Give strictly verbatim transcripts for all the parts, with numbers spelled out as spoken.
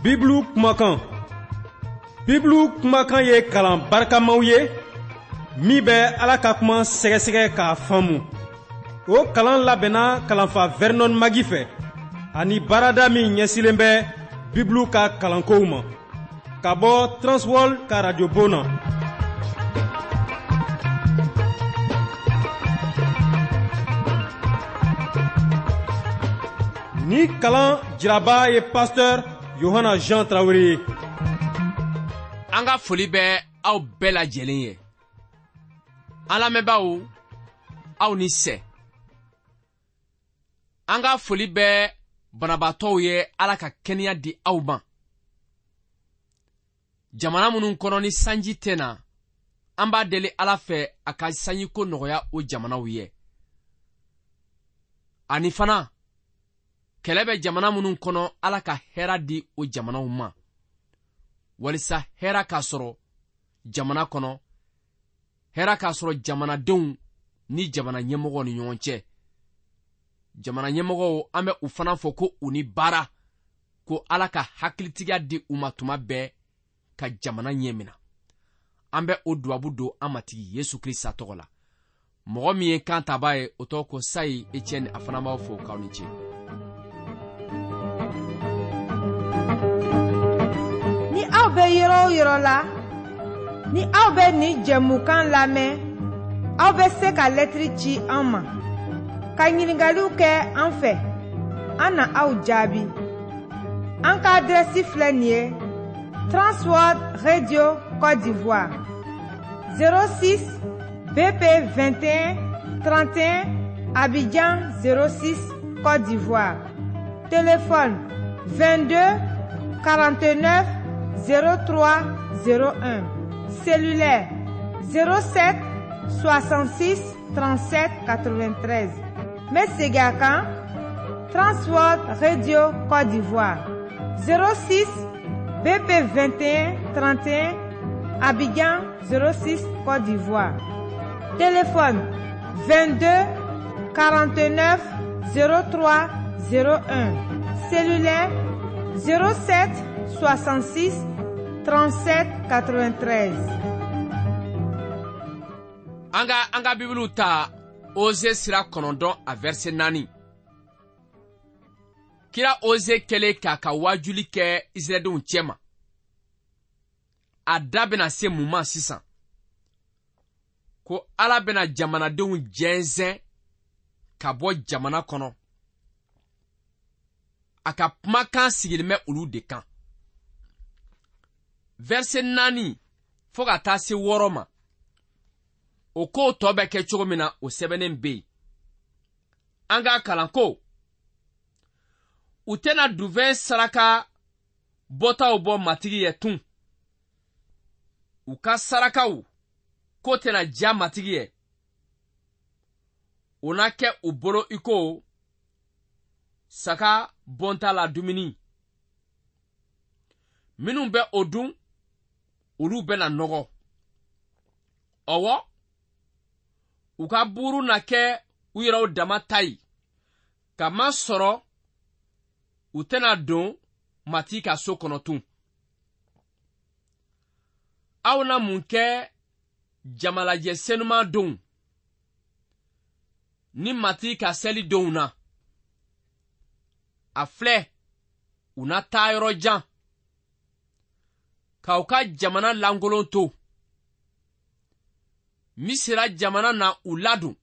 Bibulu kumakan. Bibulu kumakan ye kalan barikamaw ye min bɛ Ala ka kuma sɛgɛsɛgɛ k'a faamu. O kalan labɛnna kalanfa Vernon Magi fɛ ani baarada min ɲɛsilen bɛ Bibulu ka kalankow ma ka bɔ Transworld ka radio bon na. Ni kalan jiraba ye pasteur Yohana Jean Traoré ye. An ka foli bɛ aw bɛɛ lajɛlen ye. An lamɛnbaaw, aw ni sɛ. An ka foli bɛ banabaatɔw ye, Ala ka kɛnɛya di aw ma. Jamana minnu kɔnɔ ni sanji tɛ na, an b'a deli Ala fɛ a ka sanjiko nɔgɔya o jamanaw ye. Ani fana, kɛlɛ bɛ jamana minnu kɔnɔ, Ala ka hɛrɛ di o jamanaw ma, walisa hɛrɛ ka sɔrɔ jamana kɔnɔ, hɛrɛ ka sɔrɔ jamanadenw ni jamana ɲɛmɔgɔw ni ɲɔgɔn cɛ. Jamana ɲɛmɔgɔw, an bɛ u fana fɔ ko u ni baara, ko Ala ka hakilitigiya di u ma tuma bɛɛ ka jamana ɲɛ minɛ. An bɛ o dubabu don an Matigi Yesu Krista tɔgɔ la. Mɔgɔ min ye kan taba ye, o tɔgɔ ko Sayi Etienne, a fana b'aw fo k'aw ni ce. Ni aw bɛ yɔrɔ o yɔrɔ la, ni aw bɛ nin jɛmukan lamɛn, aw bɛ se ka lɛtiri ci an ma, ka ɲininkaliw kɛ an fɛ, an na aw jaabi. An ka adrɛsi filɛ nin ye: Transworld Radio Côte d'Ivoire, zéro six B P vingt et un trente et un, Abidjan zéro six Côte d'Ivoire. Téléphone vingt-deux quarante-neuf zéro trois zéro un. Cellulaire zéro sept soixante-six trente-sept quatre-vingt-treize. N bɛ segin a kan: Transworld Radio Côte d'Ivoire, zéro six B P vingt et un trente et un, Abidjan zéro six Côte d'Ivoire. Téléphone vingt-deux quarante-neuf zéro trois zéro un. Cellulaire zéro sept soixante-six trente-sept quatre-vingt-treize. An ka an ka Bibulu ta Oze sira kɔnɔntɔn a verset naani. Kira Oze kɛlen k'a ka wajuli kɛ Israɛlidenw cɛma, a da bɛna se mun ma sisan? Ko Ala bɛna jamanadenw jɛnsɛn ka bɔ jamana kɔnɔ. A ka kumakan sigilen bɛ olu de kan. Verset naani fo ka taa se wɔɔrɔ ma, o kow tɔ bɛ kɛ cogo min na, o sɛbɛnnen bɛ yen. An k'a kalan ko u tɛna duvɛn saraka bɔtaw bɔ Matigi ye tun. U ka sarakaw ko tɛna diya Matigi ye. O na kɛ u bolo i ko saga bɔnta la dumuni. Minnu bɛ o dun, olu bɛna nɔgɔ. Ɔwɔ, u ka buuru na kɛ u yɛrɛw dama ta ye, kamasɔrɔ u tɛna don Matigi ka so kɔnɔ tun. Aw na mun kɛ jamalajɛ senuman donw ni Matigi ka seli donw na? A filɛ, u na taa yɔrɔ jan k'aw ka jamana lankolon to. Misira jamana na u ladon.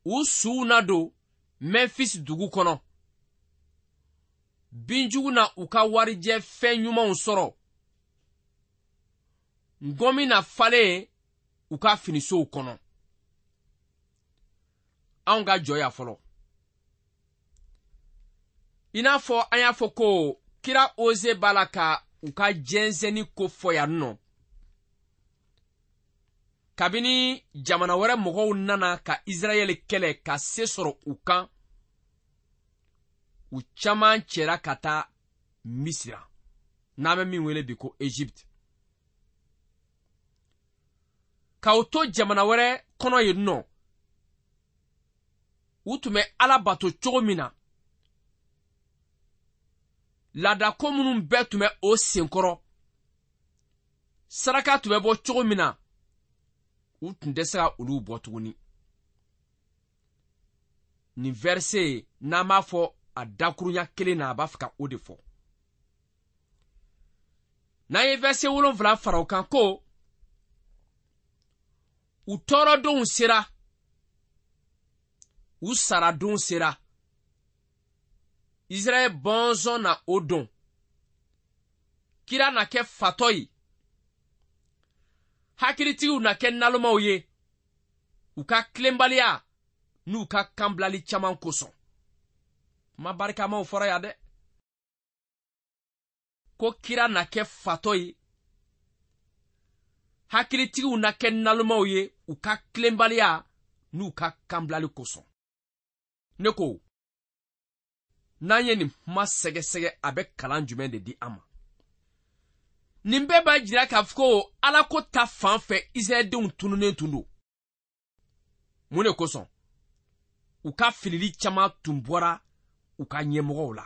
U suw na don Memphis dugu kɔnɔ. Binjugu na u ka warijɛ fɛn ɲumanw sɔrɔ. Ngɔmi na falen u ka finisow kɔnɔ. Anw ka jɔ yan fɔlɔ. I n'a fɔ an y'a fɔ ko kira Oze b'a la ka u ka jɛnsɛnni ko fɔ yan nɔ. Kabini jamana wɛrɛ mɔgɔw nana ka Israɛl kɛlɛ ka se sɔrɔ u kan, u caman cɛra ka taa Misira, n'an bɛ min wele bi ko Egypte. K'aw to jamana wɛrɛ kɔnɔ yen nɔ, u tun bɛ Ala bato cogo min na, Laadako minnu bɛɛ tun bɛ o senkɔrɔ, saraka tun bɛ bɔ cogo min na, u tun tɛ se ka olu bɔ tuguni. Nin verset n'an b'a fɔ a dakurunya kelen na, a b'a fɛ ka o de fɔ. N'an ye verset wolonfila fara o kan ko u tɔɔrɔdenw sera, u saradonw sera, Israɛl bɔnsɔn na o don, kira na kɛ fatɔ ye, hakilitigiw na kɛ nalomaw ye, u ka tilenbaliya n'u ka kanbilali caman kosɔn. Kuma barikamaw fɔra yan dɛ. Ko kira na kɛ fatɔ ye, hakilitigiw na kɛ nalomaw ye, u ka tilenbaliya n'u ka kanbilali kosɔn. Ne ko, n'an ye nin kuma sɛgɛsɛgɛ, a bɛ kalan jumɛn de di an ma? Nin bɛɛ b'a jira k'a fɔ ko Alako ta fan fɛ Israɛldenw tununnen tun don. Mun de kosɔn? U ka filili caman tun bɔra u ka ɲɛmɔgɔw la.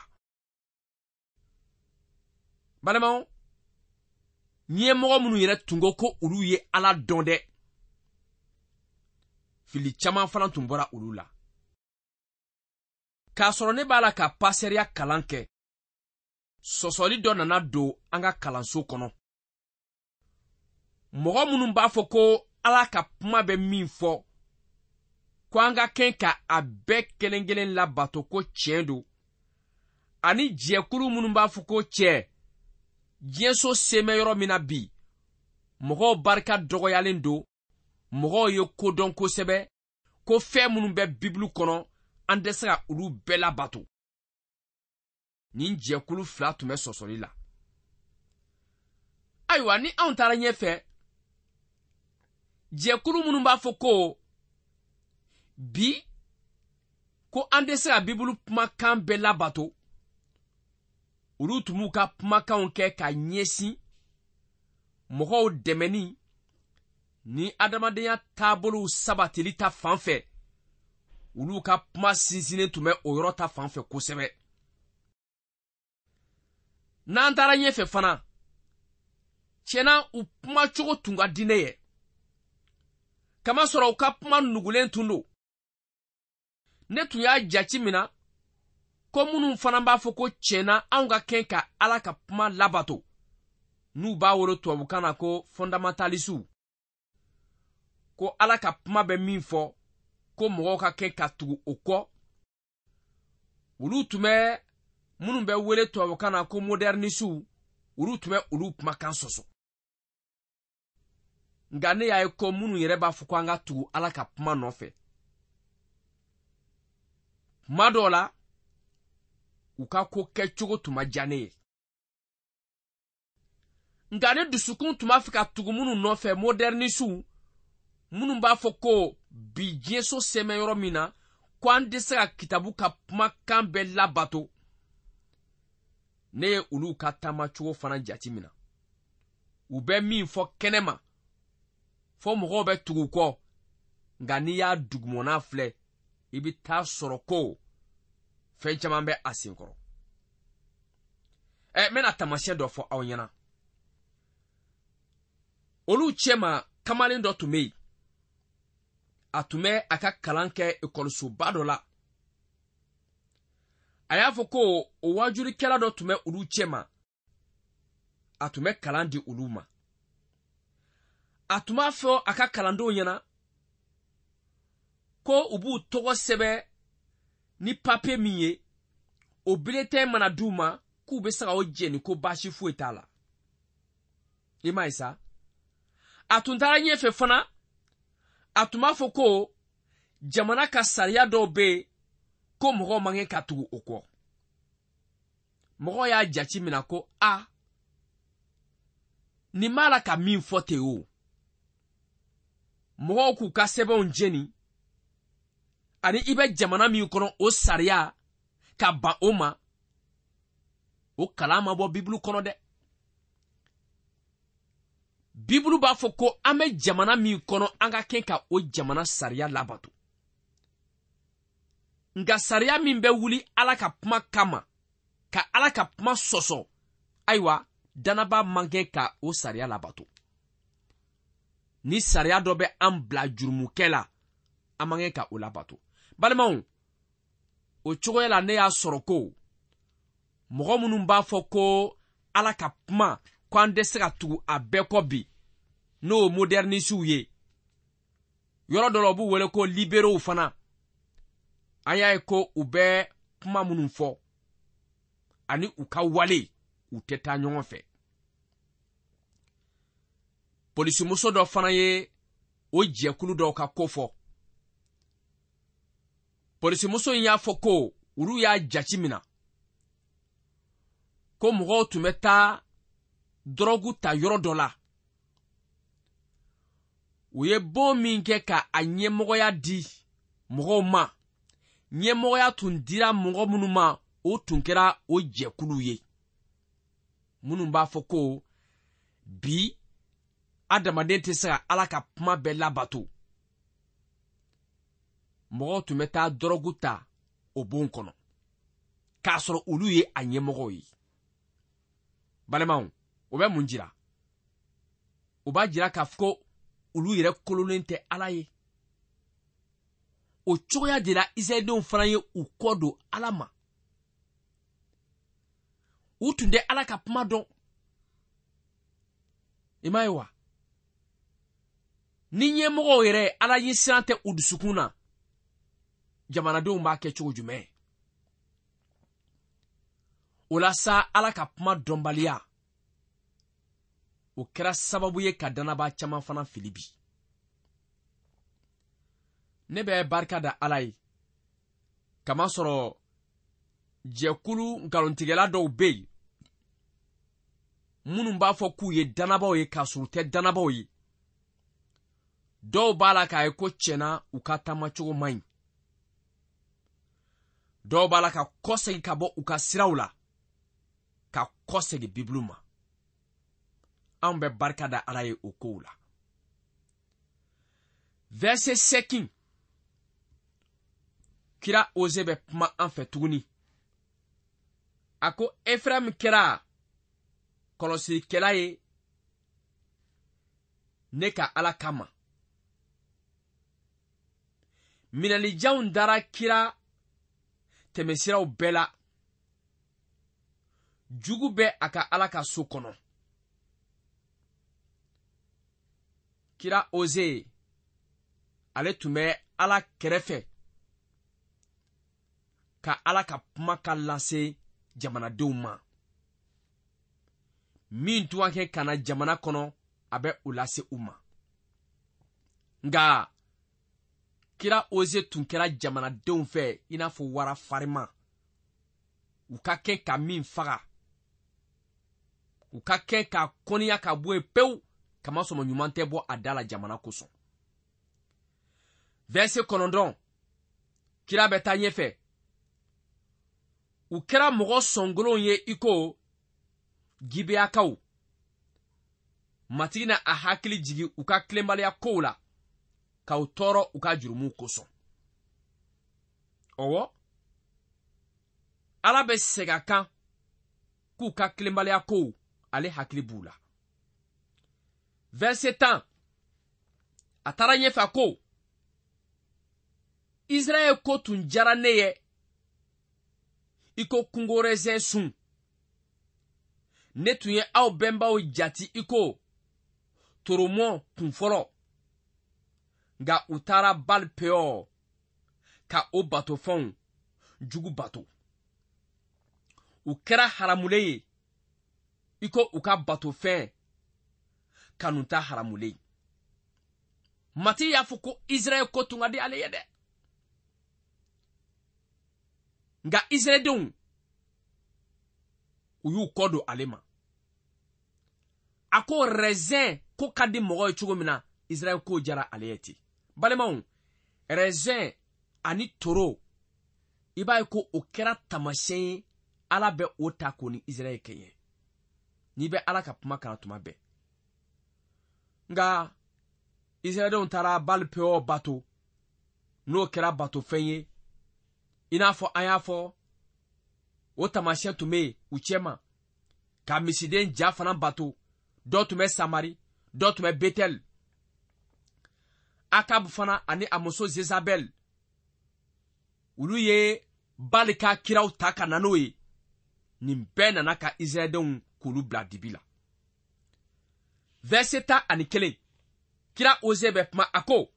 Balimaw, ɲɛmɔgɔ minnu yɛrɛ tun ko ko olu ye Ala dɔn dɛ, fili caman fana tun bɔra olu la. K'a sɔrɔ ne b'a la ka pasɛriya kalan kɛ, sɔsɔli dɔ nana don an ka kalanso kɔnɔ. Mɔgɔ minnu b'a fɔ ko Ala ka kuma bɛ min fɔ, ko an ka kɛn ka a bɛɛ kelen kelen labato ko tiɲɛ don, ani jɛkulu minnu b'a fɔ ko cɛ, diɲɛso sen bɛ yɔrɔ min na bi, mɔgɔw barika dɔgɔyalen don, mɔgɔw ye ko dɔn kosɛbɛ, ko fɛn minnu bɛ Bibulu kɔnɔ, an tɛ se ka olu bɛɛ labato. Nin jɛkulu fila tun bɛ sɔsɔli la. Ayiwa, ni anw taara ɲɛfɛ, jɛkulu minnu b'a fɔ ko bi ko an tɛ se ka Bibulu kumakan bɛɛ labato, olu tun b'u ka kumakanw kɛ ka ɲɛsin mɔgɔw dɛmɛni ni adamadenya taabolow sabatili ta fan fɛ. Olu ka kuma sinsinnen tun bɛ o yɔrɔ ta fan fɛ kosɛbɛ. N'an taara ɲɛfɛ fana, tiɲɛna u kumacogo tun ka di ne ye, kamasɔrɔ u ka kuma nugulen tun don. Ne tun y'a jate minɛ ko minnu fana b'a fɔ ko tiɲɛna anw ka kɛn ka Ala ka kuma labato, n'u b'a wele tubabukan na ko fondamentalisiw, ko Ala ka kuma bɛ min fɔ ko mɔgɔw ka kɛn ka tugu o kɔ, olu tun bɛ minnu bɛ wele tubabukan na ko modernisiw, olu tun bɛ olu kumakan sɔsɔ. Nka ne y'a ye ko minnu yɛrɛ b'a fɔ ko an ka tugu Ala ka kuma nɔfɛ, kuma dɔw la u ka ko kɛcogo tun ma diya ne ye. Nka ne dusukun tun b'a fɛ ka tugu minnu nɔfɛ, modernisiw, minnu b'a fɔ ko bi diɲɛso sen bɛ yɔrɔ min na, ko an tɛ se ka kitabu ka kumakan bɛɛ labato, ne ye olu ka taamacogo fana jate minɛ. U bɛ min fɔ kɛnɛma, fɔ mɔgɔw bɛ tugu kɔ, nka n'i y'a dugumana filɛ, i bɛ taa sɔrɔ ko fɛn caman bɛ a senkɔrɔ. Ɛ, n bɛna taamasiyɛn dɔ fɔ aw ɲɛna. Olu cɛma kamalen dɔ tun bɛ yen, a tun bɛ a ka kalan kɛ ekɔlisoba dɔ la. A y'a fɔ ko o waajulikɛla dɔ tun bɛ olu cɛma, a tun bɛ kalan di olu ma. A tun b'a fɔ a ka kalandenw ɲɛna ko u b'u tɔgɔ sɛbɛn ni papiye min ye, o bulletin mana d'u ma k'u bɛ se ka o jɛni ko baasi foyi t'a la. I m'a ye sa? A tun taara ɲɛfɛ fana, a tun b'a fɔ ko jamana ka sariya dɔw bɛ yen ko mɔgɔw man kan ka tugu o kɔ. Mɔgɔw y'a jate minɛ ko a, nin b'a la ka min fɔ ten o. Mɔgɔw k'u ka sɛbɛnw jeni, ani i bɛ jamana min kɔnɔ o sariya ka ban o ma, o kalan ma bɔ Bibulu kɔnɔ dɛ. Bibulu b'a fɔ ko an bɛ jamana min kɔnɔ, an ka kɛ ka o jamana sariya labato. Nka sariya min bɛ wuli Ala ka kuma kama ka Ala ka kuma sɔsɔ, ayiwa dannaba man kɛ ka o sariya labato. Ni sariya dɔ bɛ an bila jurumukɛ la, an man kɛ ka o labato. Balimaw, o cogoya la ne y'a sɔrɔ ko mɔgɔ minnu b'a fɔ ko Ala ka kuma ko an tɛ se ka tugu a bɛɛ kɔ bi, n'o modernisiw ye, yɔrɔ dɔ la u b'u wele ko libéraux fana, an y'a ye ko u bɛ kuma minnu fɔ ani u ka wale u tɛ taa ɲɔgɔn fɛ. Polisimuso dɔ fana ye o jɛkulu dɔw ka ko fɔ. Polisimuso in y'a fɔ ko olu y'a jate minɛ ko mɔgɔw tun bɛ taa dɔrɔgu ta yɔrɔ dɔ la. U ye bon min kɛ ka a ɲɛmɔgɔya di mɔgɔw ma, ɲɛmɔgɔya tun dira mɔgɔ minnu ma, o tun kɛra o jɛkulu ye minnu b'a fɔ ko bi adamaden tɛ se ka Ala ka kuma bɛɛ labato. Mɔgɔw tun bɛ taa dɔrɔgu ta o bon kɔnɔ k'a sɔrɔ olu ye a ɲɛmɔgɔw ye. Balimaw, o bɛ mun jira? O b'a jira k'a fɔ ko olu yɛrɛ kololen tɛ Ala ye. O cogoya de la Israɛldenw fana ye u kɔ don Ala ma. U tun tɛ Ala ka kuma dɔn. I m'a ye wa? Ni ɲɛmɔgɔw yɛrɛ Ala ɲɛsiran tɛ u dusukun na, jamanadenw b'a kɛ cogo jumɛn? O la sa, Ala ka kuma dɔnbaliya o kɛra sababu ye ka dannabaa caman fana fili bi. Ne bɛ barika da Ala ye kamasɔrɔ jɛkulu nkalontigɛla dɔw bɛ yen minnu b'a fɔ k'u ye dannabaw ye k'a sɔrɔ u tɛ dannabaw ye. Dɔw b'a la k'a ye ko tiɲɛna u ka taamacogo man ɲi. Dɔw b'a la ka kɔsegin ka bɔ u ka siraw la, ka kɔsegin Bibulu ma. Anw bɛ barika da Ala ye o kow la. Verset seegin, kira Oze bɛ kuma an fɛ tuguni. A ko Efraimu kɛra kɔlɔsilikɛla ye ne ka Ala kama. Minɛlijanw dara kira tɛmɛsiraw bɛɛ la. Jugu bɛ a ka Ala ka so kɔnɔ. Kira Oze ale tun bɛ Ala kɛrɛfɛ ka Ala ka kuma ka lase jamanadenw ma. Min tun ka kɛ ka na jamana kɔnɔ, a bɛ o lase u ma. Nka kira Oze tun kɛra jamanadenw fɛ i n'a fɔ wara farima. U ka kɛ ka min faga, u ka kɛ ka kɔniya ka bɔ yen pewu, kamasɔrɔ ɲuman tɛ bɔ a da la jamana kosɔn. Verset kɔnɔntɔn, kira bɛ taa ɲɛfɛ. U kɛra mɔgɔ sɔnkolonw ye i ko Gibeyakaw. Matigi na a hakili jigin u ka tilenbaliya kow la, k'aw tɔɔrɔ u ka jurumuw kosɔn. Ɔwɔ, Ala bɛ segin a kan k'u ka tilenbaliya kow ale hakili b'u la. Verset tan, a taara ɲɛfɛ a ko Israɛl ko tun diyara ne ye i ko kungorɛzɛn sun. Ne tun ye aw bɛnbaw jati i ko toromɔ kun fɔlɔ, nka u taara Bal Peor ka o batofɛnw jugu bato. U kɛra haramulen ye i ko u ka batofɛn kanuta haramulen. Matigi y'a fɔ ko Israɛl ko tun ka di ale ye dɛ. Nka Israɛldenw u y'u kɔ don ale ma. A ko raisin ko ka di mɔgɔ ye cogo min na, Israɛl ko diyara ale ye ten. Balimaw, raisin ani toro, i b'a ye ko o kɛra taamasiyɛn ye Ala bɛ o ta k'o ni Israɛl kɛɲɛ. N'i bɛ Ala ka kuma kalan tuma bɛɛ. Nka Israɛldenw taara Bal Peor bato, n'o kɛra batofɛn ye, i n'a fɔ an y'a fɔ O taamasiyɛn tun bɛ yen u cɛma, ka misiden ja fana bato. Dɔ tun bɛ Samari, dɔ tun bɛ Betɛli. Akab fana ani a muso Zezabɛl, olu ye Bali ka kiraw ta ka na n'o ye. Nin bɛɛ nana ka Israɛldenw k'olu bila dibi la. Verset tan ani kelen, kira Oze bɛ kuma, a ko: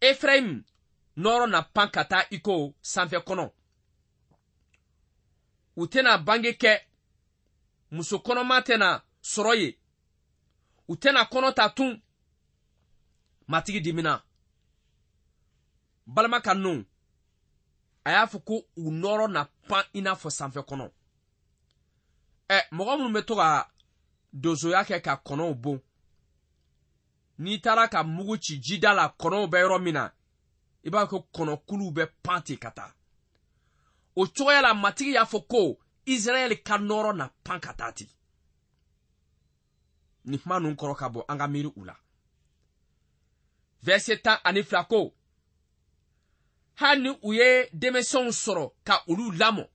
Efrayim nɔɔrɔ na pan ka taa i ko sanfɛ kɔnɔ. U tɛna bange kɛ, muso kɔnɔma tɛna sɔrɔ yen, u tɛna kɔnɔ ta tun. Matigi dimina. Balima ka nɔ, a y'a fɔ ko u nɔɔrɔ na pan i n'a fɔ sanfɛ kɔnɔ. Ɛ, mɔgɔ minnu bɛ to ka donsoya kɛ ka kɔnɔw bon, n'i taara ka mugu ci jida la kɔnɔw bɛ yɔrɔ min na, i b'a ko kɔnɔkuluw bɛ pan ten ka taa. O cogoya la, Matigi y'a fɔ ko Israɛl ka nɔɔrɔ na pan ka taa ten. Nin kuma ninnu kɔrɔ ka bɔ, an ka miiri u la. Verset tan ani fila ko: hali ni u ye denmisɛnw sɔrɔ ka olu lamɔ,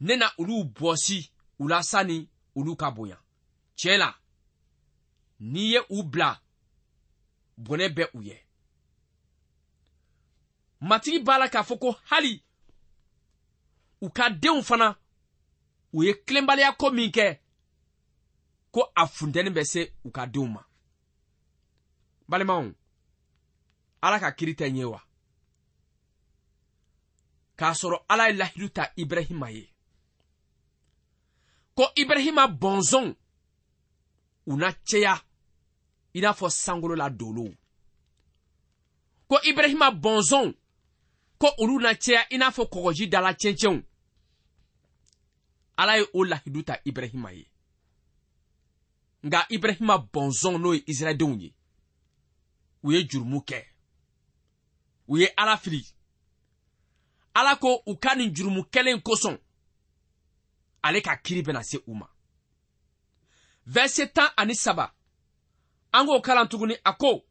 ne na olu bɔsi u la sani olu ka bonya. Tiɲɛ la, n'i ye u bila, bɔnɛ bɛ u ye. Matigi b'a la k'a fɔ ko hali u ka denw fana, u ye tilenbaliya ko min kɛ, ko a funteni bɛ se u ka denw ma. Balimaw, Ala ka kiri tɛ ɲɛ wa? K'a sɔrɔ Ala ye lahidu ta Ibrahima ye ko Ibrahima bɔnsɔnw u na caya i n'a fɔ sankolo la dolow, ko Ibrahima bɔnsɔnw ko olu na caya i n'a fɔ kɔgɔji dala cɛncɛnw. Ala ye o lahidu ta Ibrahima ye. Nka Ibrahima bɔnsɔn, n'o ye Israɛldenw ye, u ye jurumu kɛ, u ye Ala fili. Ala ko u ka nin jurumu kɛlen kosɔn, ale ka kiri bɛna se u ma. Verset tan ani saba, an k'o kalan tuguni. A ko: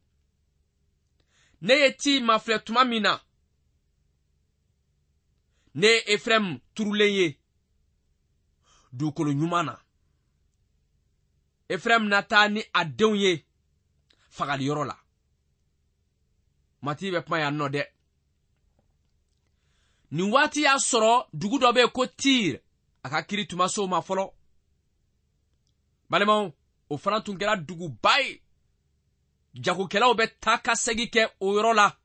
ne ye Tir mafilɛ tuma min na, ne ye Efrayim turulen ye dugukolo ɲuman na. Efrayim na taa ni a denw ye fagaliyɔrɔ la. Matigi bɛ kuma yan nɔ dɛ. Nin waati y'a sɔrɔ dugu dɔ bɛ yen ko Tir, a ka kiri tun ma se o ma fɔlɔ. Balimaw, o fana tun kɛra duguba ye. Jagokɛlaw bɛ taa ka segin kɛ o yɔrɔ la.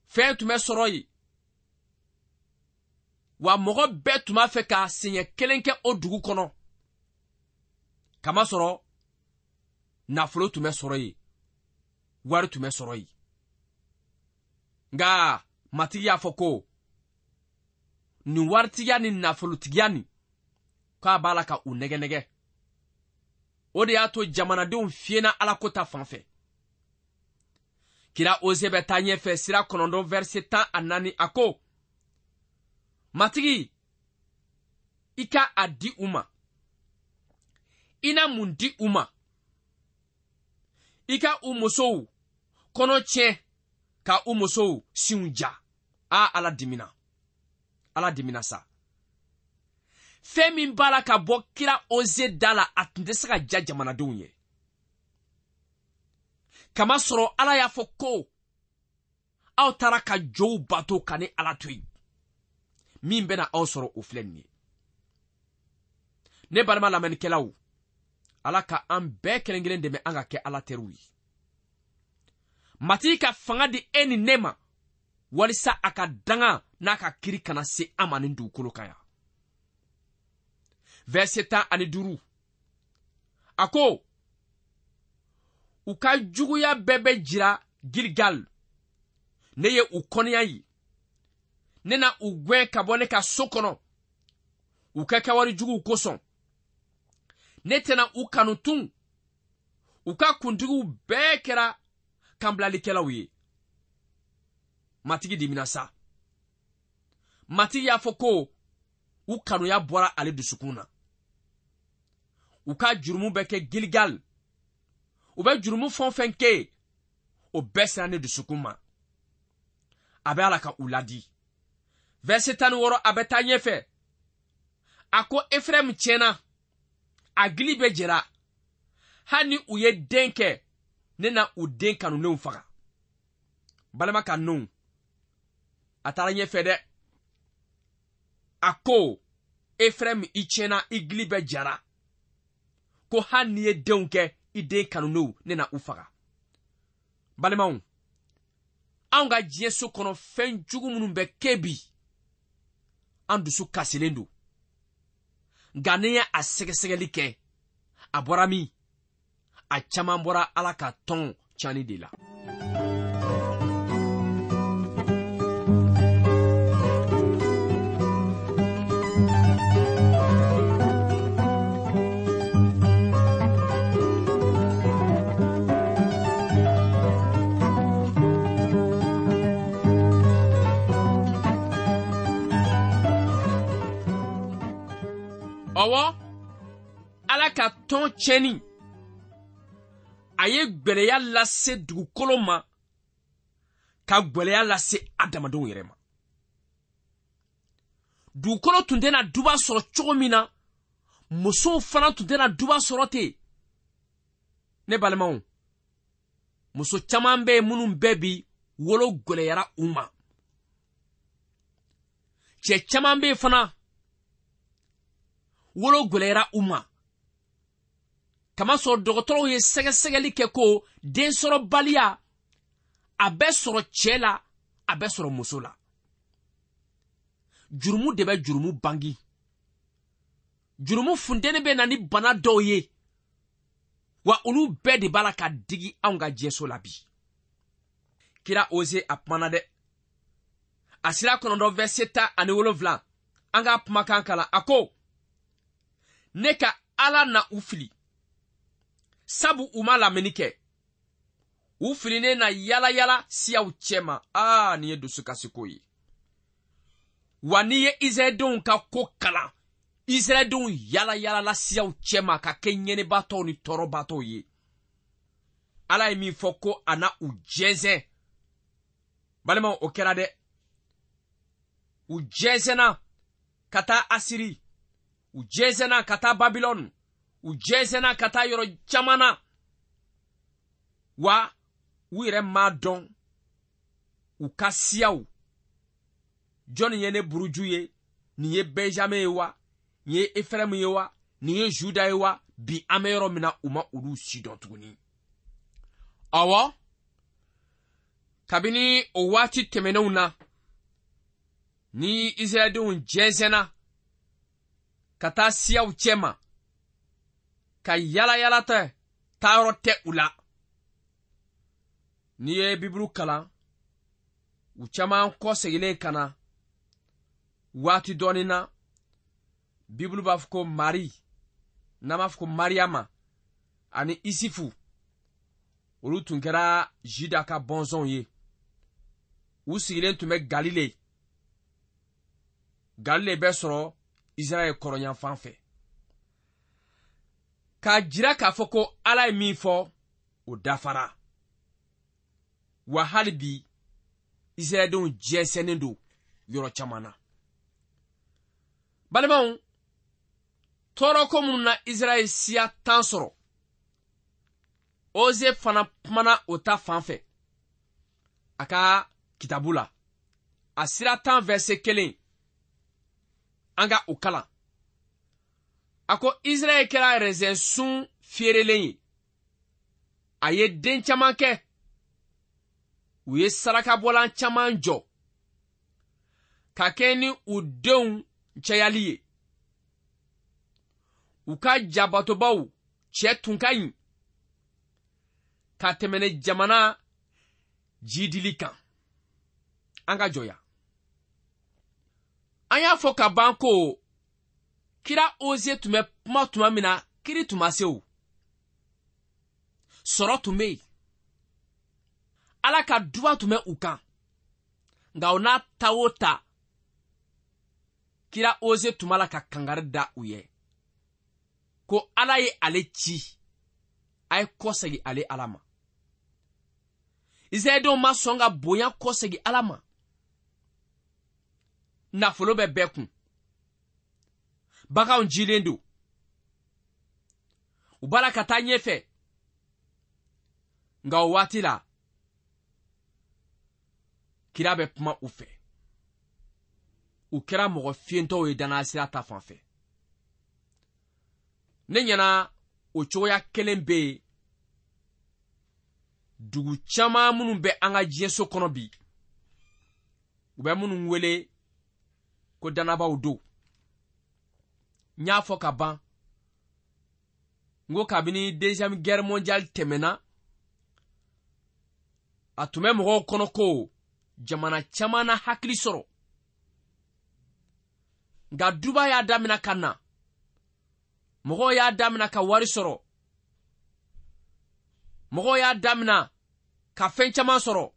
Fɛn tun bɛ sɔrɔ yen. Wa mɔgɔ bɛɛ tun b'a fɛ ka siɲɛ kelen kɛ o dugu kɔnɔ. Kamasɔrɔ nafolo tun bɛ sɔrɔ yen, wari tun bɛ sɔrɔ yen. Nka Matigi y'a fɔ ko nin waritigiya ni nafolotigiya nin, k'a b'a la ka u nɛgɛ nɛgɛ. O de y'a to jamanadenw fiyɛna Alako ta fan fɛ. Kira Oze bɛ taa ɲɛfɛ sira kɔnɔntɔn verset tan ani naani, a ko: Matigi, i ka a di u ma. I na mun di u ma? I ka u musow kɔnɔ tiɲɛ, ka u musow sinw ja. A, Ala dimina. Ala dimina sa. Fɛn min b'a la ka bɔ kira Oze da la, a tun tɛ se ka ja jamanadenw ye. Kamasɔrɔ Ala y'a fɔ ko aw taara ka jow bato ka ni Ala to yen. Min bɛna aw sɔrɔ, o filɛ nin ye. Ne balima lamɛnnikɛlaw, Ala ka an bɛɛ kelen kelen dɛmɛ an ka kɛ Ala teriw ye. Matigi ka fanga di e ni ne ma, walisa a ka danga n'a ka kiri kana se an ma nin dugukolo kan yan. Verset tan ani duuru, a ko: u ka juguya bɛɛ bɛ jira Gilgal. Ne ye u kɔniya ye. Ne na u gɛn ka bɔ ne ka so kɔnɔ, u ka kɛwale juguw kosɔn. Ne tɛna u kanu tun. U ka kuntigiw bɛɛ kɛra kanbilalikɛlaw ye. Matigi dimina sa. Matigi y'a fɔ ko u kanuya bɔra ale dusukun na. U ka jurumu bɛ kɛ Gilgal. U bɛ jurumu fɛn o fɛn kɛ, o bɛɛ sera ne dusukun ma. A bɛ Ala ka u ladi. Verset tan ni wɔɔrɔ, a bɛ taa ɲɛfɛ. A ko Efraimu tiɲɛna, a gili bɛ jɛra. Hali ni u ye den kɛ, ne na u den kanulenw faga. Balima kanulenw, a taara ɲɛfɛ dɛ. A ko Efraimu i tiɲɛna, i gili bɛ jara. Ko hali n'i ye denw kɛ, i den kanulenw, ne na u faga. Balimaw, anw ka diɲɛso kɔnɔ fɛn jugu minnu bɛ kɛ bi, an dusu kasilen don. Nka n'i ye a sɛgɛsɛgɛli kɛ, a bɔra min? A caman bɔra Ala ka tɔn cani de la. Ɔwɔ, Ala ka tɔn tiɲɛni, a ye gwɛlɛya lase dugukolo ma, ka gwɛlɛya lase adamadenw yɛrɛ ma. Dugukolo tun tɛna duba sɔrɔ cogo min na, musow fana tun tɛna duba sɔrɔ ten. Ne balimaw, muso caman bɛ yen minnu bɛɛ bi wolo gwɛlɛyara u ma. Cɛ caman bɛ yen fana, wolo gwɛlɛyara u ma. Kamasɔrɔ dɔgɔtɔrɔw ye sɛgɛsɛgɛli kɛ ko densɔrɔbaliya a bɛ sɔrɔ cɛ la, a bɛ sɔrɔ muso la. Jurumu de bɛ jurumu bangi. Jurumu funteni bɛ na ni bana dɔw ye, wa olu bɛɛ de b'a la ka digi anw ka diɲɛso la bi. Kira Oze a kumana dɛ. A sira kɔnɔntɔn verset tan ani wolonwula, an k'a kumakan kalan. A ko, ne ka Ala na u fili, sabu u ma lamɛnni kɛ. U filinen na yala yala siyaw cɛma. Aa, nin ye dusukasiko ye. Wa n'i ye Israɛldenw ka ko kalan, Israɛldenw yala yalala siyaw cɛma ka kɛ ɲɛnɛbatɔw ni tɔɔrɔbatɔw ye. Ala ye min fɔ ko a na u jɛnsɛn. Balimaw, o kɛra dɛ. U jɛnsɛnna ka taa Asiri, u jɛnsɛnna ka taa Babilɔni, u jɛnsɛnna ka taa yɔrɔ caman na. Wa u yɛrɛ m'a dɔn u ka siyaw. Jɔnni ye ne buruju ye? Nin ye Benjamin ye wa? Nin ye Efraimu ye wa? Nin ye Juda ye wa? Bi an bɛ yɔrɔ min na, u ma olu si dɔn tuguni. Ɔwɔ, kabini o waati tɛmɛnenw na, ni Israɛldenw jɛnsɛnna ka taa siyaw cɛma, ka yala yala tɛ, taayɔrɔ tɛ u la. N'i ye Bibulu kalan, u caman kɔseginnen ka na waati dɔɔnin na, Bibulu b'a fɔ ko Mari, n'an b'a fɔ ko Mariyama ani Isifu, olu tun kɛra Juda ka bɔnsɔnw ye. U sigilen tun bɛ Galile. Galile bɛ sɔrɔ Israɛl kɔrɔnyanfan fɛ. K'a jira k'a fɔ ko Ala ye min fɔ, o dafara. Wa hali bi, Israɛldenw jɛnsɛnnen don yɔrɔ caman na. Balimaw, tɔɔrɔko minnu na Israɛl siya tan sɔrɔ, Oze fana kumana o ta fan fɛ a ka kitabu la. A sira tan verset kelen, an ka o kalan. A ko Israɛl kɛra rɛzɛnsun fiyerelen ye. A ye den caman kɛ. U ye sarakabɔlan caman jɔ ka kɛ ni u denw cayali ye. U ka jabatobaw cɛ tun ka ɲi ka tɛmɛ ni jamana jidili kan. An ka jɔ yan. An y'a fɔ ka ban ko kira Oze tun bɛ kuma tuma min na, kiri tun ma se o. Sɔrɔ tun bɛ yen. Ala ka duba tun bɛ u kan. Nka o n'a ta o ta, kira Oze tun b'a la ka kangari da u ye ko Ala ye ale ci, a ye kɔsegin ale Ala ma. Israɛldenw ma sɔn ka bonya kɔsegin Ala ma. Nafolo bɛ bɛɛ kun, baganw jilen don, u b'a la ka taa ɲɛfɛ. Nka o waati la, kira bɛ kuma u fɛ. U kɛra mɔgɔ fiyentɔw ye danaya sira ta fan fɛ. Ne ɲɛna o cogoya kelen bɛ yen dugu caman minnu bɛ an ka diɲɛso kɔnɔ bi, u bɛ minnu wele ko dannabaw don. N y'a fɔ ka ban, n ko kabini deuxième guerre mondiale tɛmɛna, a tun bɛ mɔgɔw kɔnɔ ko jamana caman na hakili sɔrɔ. Nka duba y'a damina ka na, mɔgɔw y'a damina ka wari sɔrɔ, mɔgɔw y'a damina ka fɛn caman sɔrɔ.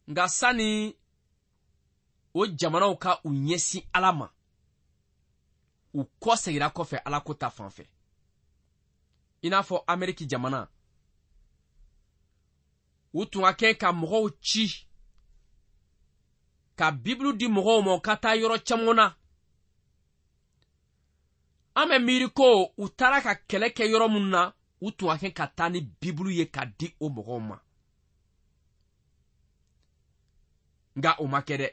Nka sani o jamanaw ka u ɲɛsin Ala ma, u kɔ seginna kɔfɛ Ala ko ta fan fɛ. I n'a fɔ Ameriki jamana, u tun ka kɛ ka mɔgɔw ci ka Bibulu di mɔgɔw ma u ka taa yɔrɔ caman na. An bɛ miiri ko u taara ka kɛlɛ kɛ yɔrɔ minnu na, u tun ka kɛ ka taa ni Bibulu ye ka di o mɔgɔw ma. Nka o ma kɛ dɛ.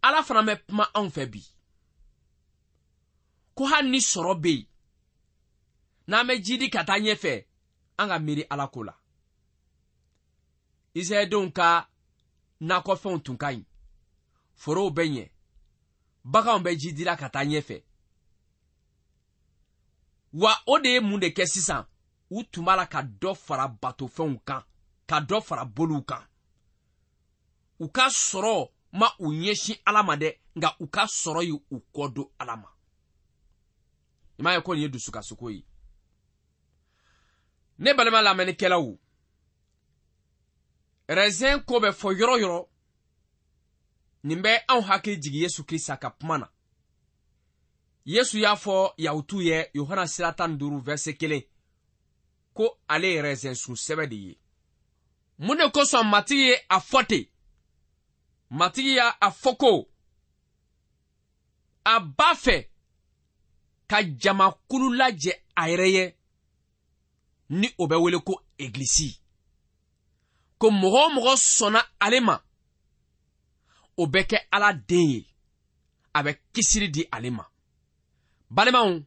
Ala fana bɛ kuma anw fɛ bi ko hali ni sɔrɔ bɛ yen, n'an bɛ jidi ka taa ɲɛfɛ, an ka miiri Ala ko la. Israɛldenw ka nakɔfɛnw tun ka ɲi, forow bɛ ɲɛ, baganw bɛ jidila ka taa ɲɛfɛ. Wa o de ye mun de kɛ sisan? U tun b'a la ka dɔ fara batofɛnw kan, ka dɔ fara boliw kan. U ka sɔrɔ ma u ɲɛsin Ala ma dɛ, nka u ka sɔrɔ ye u kɔ don Ala ma. I m'a ye ko nin ye dusukasiko ye. Ne balima lamɛnnikɛlaw, raisin ko bɛ fɔ yɔrɔ yɔrɔ, nin bɛ anw hakili jigin Yesu Krista ka kuma na. Yesu y'a fɔ Yahutuw ye Yohana sira tan ni duuru verset kelen ko ale ye raisin sun sɛbɛ de ye. Mun de kosɔn Matigi ye a fɔ ten? Matigi y'a a fɔ ko a b'a fɛ ka jamakulu lajɛ a yɛrɛ ye, ni o bɛ wele ko egilisi. Ko mɔgɔ o mɔgɔ sɔnna ale ma, o bɛ kɛ Ala den ye, a bɛ kisili di ale ma. Balimaw,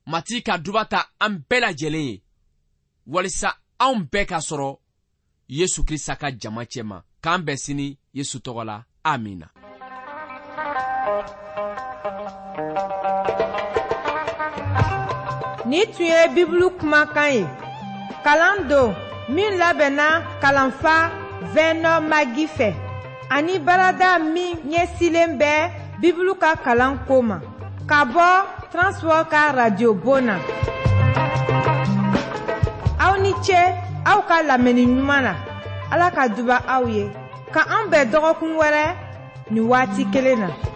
Matigi ka duba ta an bɛɛ lajɛlen ye, walisa anw bɛɛ ka sɔrɔ Yesu Krista ka jama cɛma. K'an bɛn sini Yesu tɔgɔ la. Amina. Ni tun ye Bibulu kumakan ye. Kalan don min labɛnna kalanfa Vɛnɔ Magi fɛ, ani baarada min ɲɛsilen bɛ Bibulu ka kalan ko ma, ka bɔ Transworld ka radio bon na. Aw ni ce aw ka lamɛnni ɲuman na. Ala ka duba aw ye. Ka an bɛn dɔgɔkun wɛrɛ nin waati kelen na.